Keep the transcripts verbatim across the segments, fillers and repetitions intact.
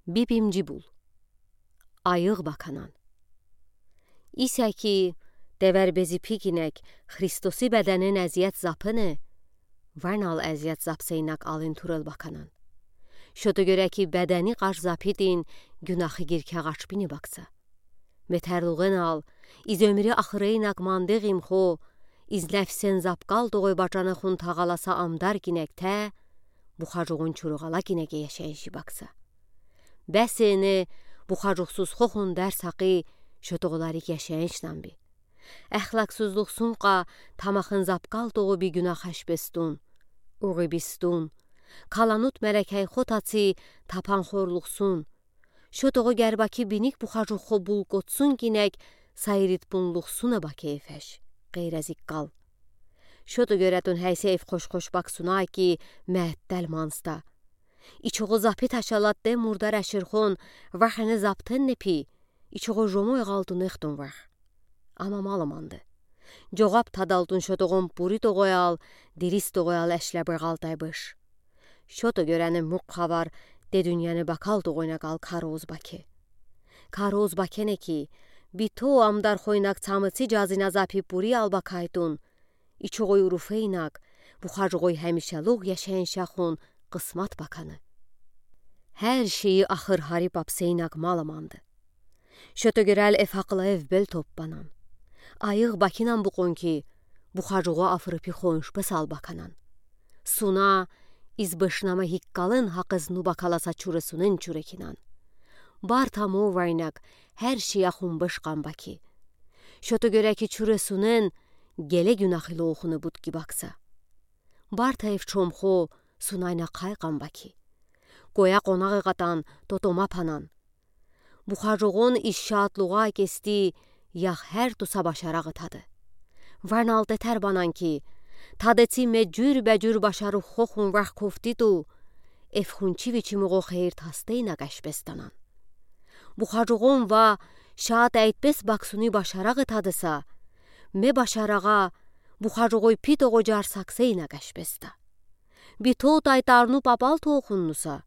Bibimci bul. Ayıq bakanan. İsə ki, devər bezipi kinək Xristosi bədənin əziyyət zapını, vənal əziyyət zapseynak alın turıl bakanan. Şoto görə ki, bədəni qaş zapidin, günaxi girkə qaş bini baksa. Metərluğın al, iz ömri axıreynak mandığım xo, iz nəfsən zapqal doğoy bacanıxun tağalasa amdar kinəktə, buxacoğun çuruğala kinəke yaşayışı baksa. Bəseni buxacoqsuz xoxun dərs haqi şotoğularıq yaşayışnan bi. Əxlaqsuzluqsunqa tamaxın zapqal doğu bi günax əşbestun, uğibistun, kalanut mərəkəy xotaçi tapan xorluqsun, şotoğu gərbaki binik buxacoq xo bulqotsun kinək sayıritpunluqsuna bakeyfəş, qeyrəzik qal. Şoto görətun həysə ev xoş-xoş baksuna ki, məəttəl mansta. İçoğu zapit aşalatdə murdar əşirxon, vəxəni zaptın nepi, içoğu jomoy ğaltun extun vəx. Amma malımandı. Coğab tadaltun şotoğun puri toğoyal, diris toğoyal əşlə bırğaltay bış. Şoto görəni murq xavar de dünyəni bakal toğoyna qal karoz bake. Karoz bakene ki, bito amdar xoynak çamıçi cazina zapi puri al bakaytun, İçoğoy urufeynak, buxacoğoy həmişəluq yaşayın şaxun qısmat bakanı. Hər şeyi axır hari papseynak malımandı. Şoto görəl ev haqlı ev bel topbanan. Ayıq bakinan buqon ki, buxacoğo afırıpi xonş bısal bakanan. Suna, iz bışnamə hiqqalın haqız nu bakalasa çurəsunın çurəkinan. Barta mo vaynak, hər şey axun bışqan baki. Şoto görə ki, çurəsunın, Gele günaxi loxunı butki baksa. Barta ev çomxo sunayna qayqan baki. Qoya qonağ eğatan totoma panan. Buxacoğon iz şaatluğa kesti, yax hər tusa başarağı tadı. Varnal tetər banan ki, tadıçi me cürbəcür başarıxoxun vax koftitu, ev xunçiviçimoğo xeyir tasteyna qəşbestanan. Buxacoğon va şaat əytbes baksuni başarağı tadısa, me başarağa buxacoğoy pitoğo car sakseyna qəşbesta. Bito tay tarnu papal toxunnusa,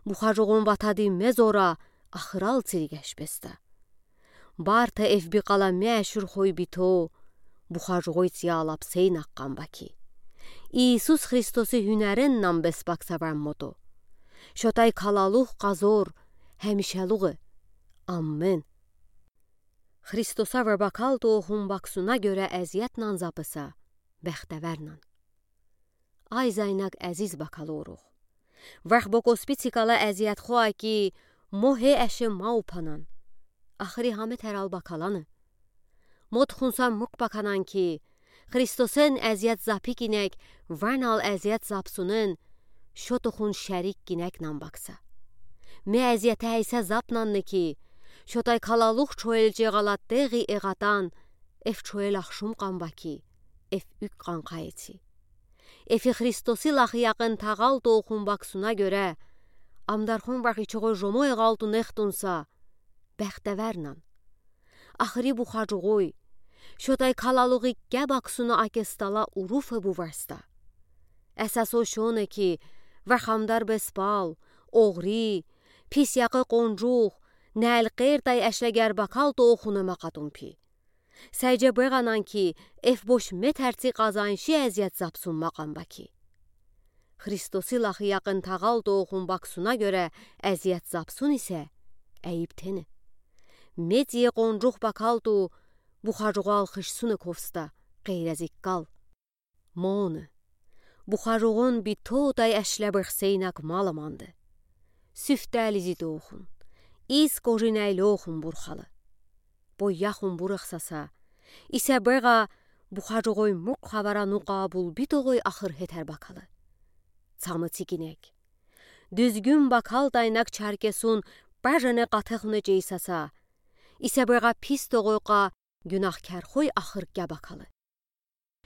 buxacoğon vatadi me zora axıral çiri qəşbesta. Barta ev biqala me əşurxoy bito, buxacoğoy çiya lapseyna qqan baki. İisus Xristosi hünərinnən bes baksa vəmmoto. Şotay kalaluğ qazor, həmişəluğ. Ammen. Xristosa və bakal toxun baksuna görə əziyyətnən zapısa, bəxtəvərnən. Ay zaynak əziz bakaloruq. Vax bo kospitsikala əziyyət xoa ki, mo he əşe maupanan. Axıri hame təral bakalanı. Mo tıxunsa mık bakanan ki, Xristosen əziyyət zapikinək vənal əziyyət zapsunın, şotoxun şərik kinəknən baksa. Me əziyyətə əysə zapnannı ki, şotay kalaluq çoyelcə ğalat deği eğatan, ev çoyel axşum qan baki, ev ük qan qayıçi. Efi Xristosi laxı yaqın tağal toxun baksuna görə, amdarxon vax içoğo jomoy ğaltun extunsa, bəxtəvərnən. Axıri buxacoğoy, şotay kalaluği kə baksuna akestala urufı bu varsta. Əsaso şonı ki, vax amdar bespal, oğri, pis yaqı qoncuq, nəl qertay əşlə gərbakal toxunı maqatun pi. Səycə bığanan ki, ev boş metərçi qazanşi əziyyət zapsun maqan baki. Xristosi laxı yaqın tağal toxun baksuna görə əziyyət zapsun isə əyib teni. Mediyə qoncuq bakaltu, buxacoğal xışsunı kovsta, qeyrəzik qal. Monı. Buxacoğon bito tay əşlə bıxseynak malımandı. Süftəlizi toxun. İz qoji nəyloxun burxalı. Boy yaxun burıxsasa, isə bığa buxacoğoy murq xavara nuqa bul bitoğoy axır hetər bakalı. Çamı çikinək. Düzgün bakal taynak çarkesun bajene qatıxunı ceysasa, isə bığa pis toğoyqa günaxkərxoy axır kə bakalı.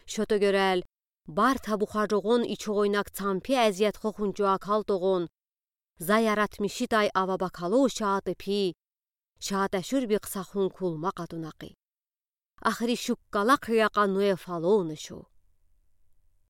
Şoto görəl, barta buxacoğon içoğoynak çampi əziyyət xoxun çoakal toğon, za yaratmışi tay ava bakalo şaatı pi, şaatəşur bi qısaxun kulma qatun aqi. Axıri şuqqala qıyaqa noe falonı şo.